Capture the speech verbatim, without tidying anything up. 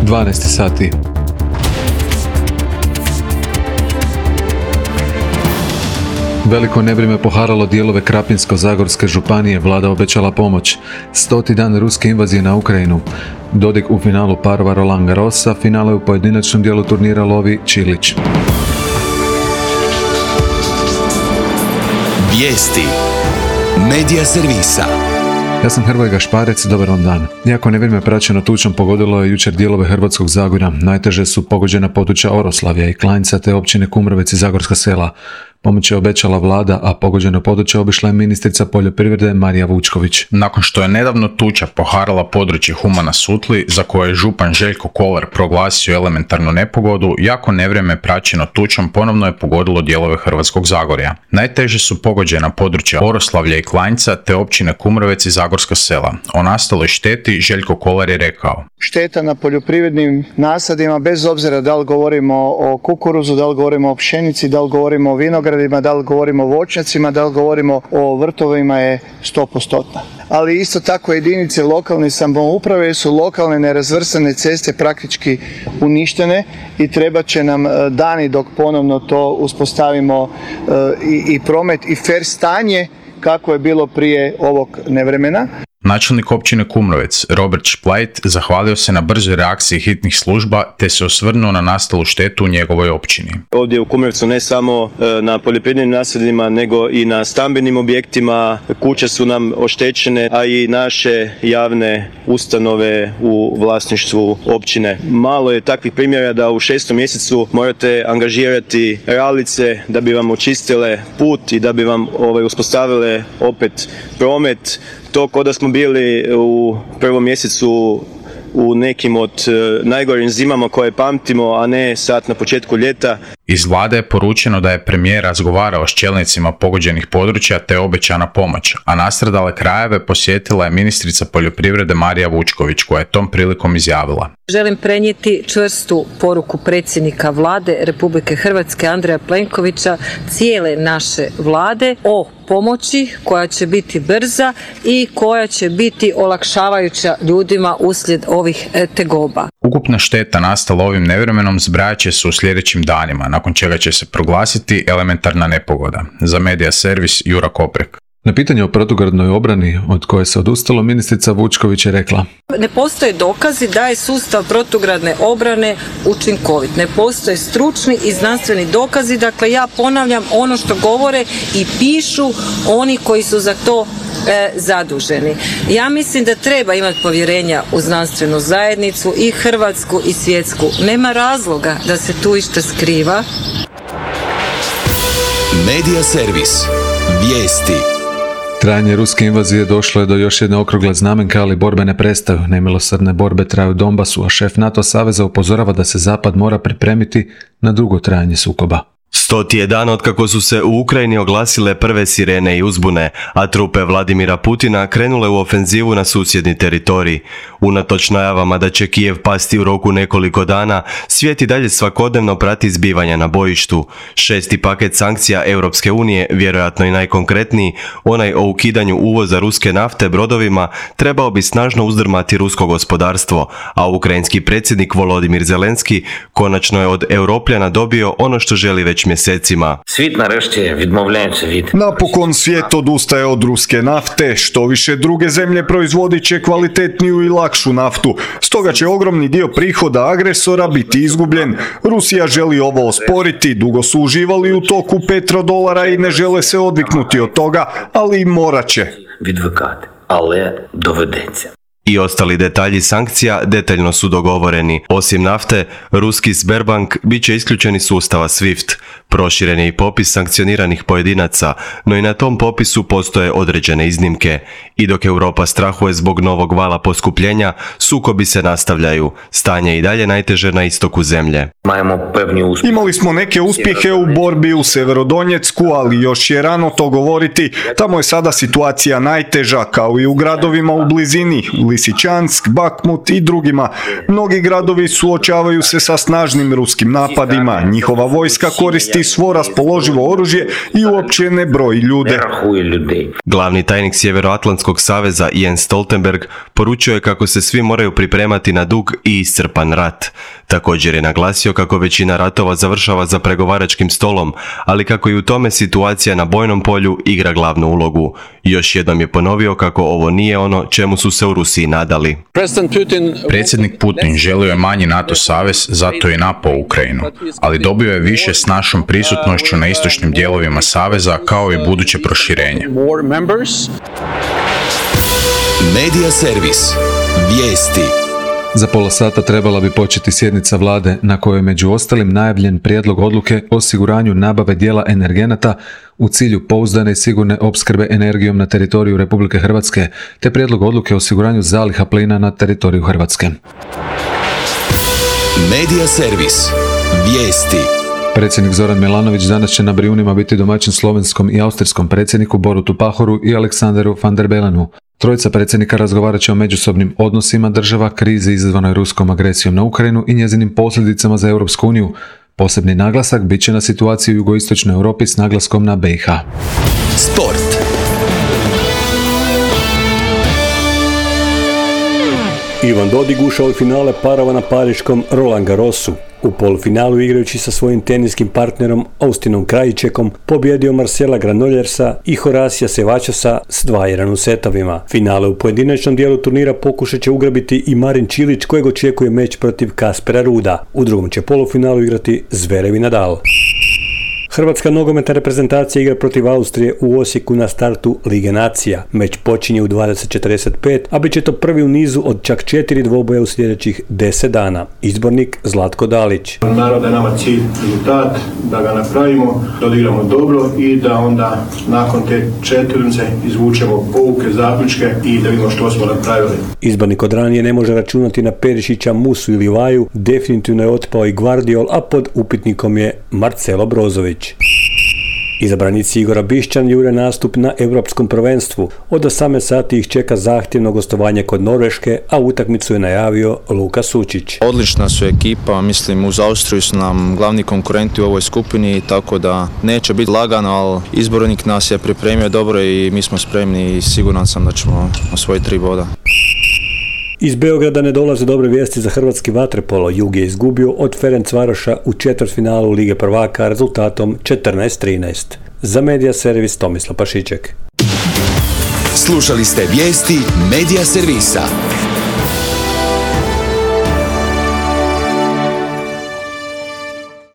dvanaest sati. Veliko nevrijeme poharalo dijelove Krapinsko-zagorske županije, vlada obećala pomoć. Stoti dan ruske invazije na Ukrajinu. Dodik u finalu parova Roland Garrosa, finale u pojedinačnom dijelu turnira lovi Čilić. Vijesti Medija servisa. Ja sam Hrvoje Gašparec, dobar vam dan. Iako nevrijeme praćeno tučom pogodilo je jučer dijelove Hrvatskog Zagorja, najteže su pogođena područja Oroslavlja i Klanjca te općine Kumrovec i Zagorska Sela. Pomoć je obećala vlada, a pogođeno područje obišla je ministrica poljoprivrede Marija Vučković. Nakon što je nedavno tuča poharala područje Humana Sutli, za koje je župan Željko Kolar proglasio elementarnu nepogodu, jako nevrijeme praćeno tučom ponovno je pogodilo dijelove Hrvatskog Zagorja. Najteže su pogođena područja Oroslavlja i Klanjca te općine Kumrovec i Zagorska Sela. O nastaloj šteti Željko Kolar je rekao: Šteta na poljoprivrednim nasadima, bez obzira da li govorimo o kukuruzu, da li govorimo o pšenici, da li govorimo o vinogradima, da li govorimo o voćnjacima, da li govorimo o vrtovima, je sto posto. Ali isto tako jedinice lokalne samouprave su lokalne nerazvrstane ceste praktički uništene i treba će nam dani dok ponovno to uspostavimo i, i promet i fer stanje kako je bilo prije ovog nevremena. Načelnik općine Kumrovec, Robert Šplajt, zahvalio se na brzoj reakciji hitnih služba te se osvrnuo na nastalu štetu u njegovoj općini. Ovdje u Kumrovcu ne samo na poljoprivrednim nasadima, nego i na stambenim objektima. Kuće su nam oštećene, a i naše javne ustanove u vlasništvu općine. Malo je takvih primjera da u šestom mjesecu morate angažirati ralice da bi vam očistile put i da bi vam ovaj, uspostavile opet promet. To kao da smo bili u prvom mjesecu u nekim od najgorim zimama koje pamtimo, a ne sad na početku ljeta. Iz vlade je poručeno da je premijer razgovarao s čelnicima pogođenih područja te obećana pomoć, a nastradale krajeve posjetila je ministrica poljoprivrede Marija Vučković, koja je tom prilikom izjavila: Želim prenijeti čvrstu poruku predsjednika vlade Republike Hrvatske Andreja Plenkovića, cijele naše vlade, o pomoći koja će biti brza i koja će biti olakšavajuća ljudima uslijed ovih tegoba. Ukupna šteta nastala ovim nevremenom zbrajat će se u sljedećim danima, nakon čega će se proglasiti elementarna nepogoda. Za Medija servis Jura Koprek. Na pitanje o protugradnoj obrani od koje se odustalo, ministrica Vučković je rekla: Ne postoje dokazi da je sustav protugradne obrane učinkovit. Ne postoje stručni i znanstveni dokazi. Dakle, ja ponavljam ono što govore i pišu oni koji su za to e, zaduženi. Ja mislim da treba imati povjerenja u znanstvenu zajednicu, i hrvatsku i svjetsku. Nema razloga da se tu išta skriva. Medija servis. Vijesti. Trajanje ruske invazije došlo je do još jedne okrugle znamenke, ali borbe ne prestaju. Nemilosrdne borbe traju u Donbasu, a šef NATO saveza upozorava da se Zapad mora pripremiti na dugo trajanje sukoba. Stoti je dan otkako su se u Ukrajini oglasile prve sirene i uzbune, a trupe Vladimira Putina krenule u ofenzivu na susjedni teritorij. Unatoč najavama da će Kijev pasti u roku nekoliko dana, svijet i dalje svakodnevno prati zbivanja na bojištu. Šesti paket sankcija Europske unije, vjerojatno i najkonkretniji, onaj o ukidanju uvoza ruske nafte brodovima, trebao bi snažno uzdrmati rusko gospodarstvo, a ukrajinski predsjednik Volodimir Zelenski konačno je od Europljana dobio ono što želi već mjesecima. Svijet narešte відмовляється від... Napokon svijet odustaje od ruske nafte, što više druge zemlje proizvodit će kvalitetniju i lakšu naftu. Stoga će ogromni dio prihoda agresora biti izgubljen. Rusija želi ovo osporiti, dugo su uživali u toku petrodolara i ne žele se odviknuti od toga, ali i morat će. Відвикати, але доведеться. I ostali detalji sankcija detaljno su dogovoreni. Osim nafte, ruski Sberbank bit će isključen iz sustava SWIFT. Proširen je i popis sankcioniranih pojedinaca, no i na tom popisu postoje određene iznimke. I dok Europa strahuje zbog novog vala poskupljenja, sukobi se nastavljaju. Stanje je i dalje najteže na istoku zemlje. Imali smo neke uspjehe u borbi u Severodonjecku, ali još je rano to govoriti. Tamo je sada situacija najteža, kao i u gradovima u blizini, u Lisičansk, Bakmut i drugima. Mnogi gradovi suočavaju se sa snažnim ruskim napadima. Njihova vojska koristi svo raspoloživo oružje i uopće ne broji ljude. Glavni tajnik Sjeveroatlantskog saveza Jens Stoltenberg poručio je kako se svi moraju pripremati na dug i iscrpan rat. Također je naglasio kako većina ratova završava za pregovaračkim stolom, ali kako i u tome situacija na bojnom polju igra glavnu ulogu. Još jednom je ponovio kako ovo nije ono čemu su se u Rusiji nadali. Predsjednik Putin želio je manji NATO savez, zato je napao Ukrajinu, ali dobio je više s našom prisutnošću na istočnim dijelovima saveza kao i buduće proširenje. Medija servis. Vijesti. Za pola sata trebala bi početi sjednica vlade na kojoj je među ostalim najavljen prijedlog odluke o osiguranju nabave dijela energenata u cilju pouzdane i sigurne opskrbe energijom na teritoriju Republike Hrvatske, te prijedlog odluke o osiguranju zaliha plina na teritoriju Hrvatske. Medija servis. Vijesti. Predsjednik Zoran Milanović danas će na Brijunima biti domaćin slovenskom i austrijskom predsjedniku Borutu Pahoru i Aleksanderu van der Belenu. Trojica predsjednika razgovarat će o međusobnim odnosima država, krizi izazvanoj ruskom agresijom na Ukrajinu i njezinim posljedicama za Europsku uniju. Posebni naglasak bit će na situaciji u jugoistočnoj Europi s naglaskom na B i H. Sport. Ivan Dodig ušao u finale parova na pariškom Roland Garrosu. U polufinalu igrajući sa svojim teniskim partnerom Austinom Krajičekom pobjedio Marcela Granollersa i Horasija Sevačasa s dva jedan u setovima. Finale u pojedinačnom dijelu turnira pokušat će ugrabiti i Marin Čilić kojeg očekuje meč protiv Kaspera Ruda. U drugom će polufinalu igrati Zverev i Nadal. Hrvatska nogometna reprezentacija igra protiv Austrije u Osijeku na startu Lige nacija. Meč počinje u dvadeset četrdeset pet, a bit će to prvi u nizu od čak četiri dvoboja u sljedećih deset dana. Izbornik Zlatko Dalić. Naravno da je nama cilj rezultat, da ga napravimo, da odigramo dobro i da onda nakon te četvrnice izvučemo pouke, zaključke i da vidimo što smo napravili. Izbornik od ranije ne može računati na Perišića, Musu ili Vaju, definitivno je otpao i Gvardiol, a pod upitnikom je Marcelo Brozović. Izabranici Igora Bišćan jure nastup na Europskom prvenstvu. Od osamnaest sati ih čeka zahtjevno gostovanje kod Norveške, a utakmicu je najavio Luka Sučić. Odlična su ekipa, mislim uz Austriju su nam glavni konkurenti u ovoj skupini, tako da neće biti lagano, ali izbornik nas je pripremio dobro i mi smo spremni i siguran sam da ćemo osvojiti tri boda. Iz Beograda ne dolaze dobre vijesti za hrvatski vaterpolo. Jug je izgubio od Ferencvaroša u četvrtfinalu Lige prvaka rezultatom četrnaest trinaest. Za Medija servis Tomislav Pašiček. Slušali ste vijesti Medija servisa.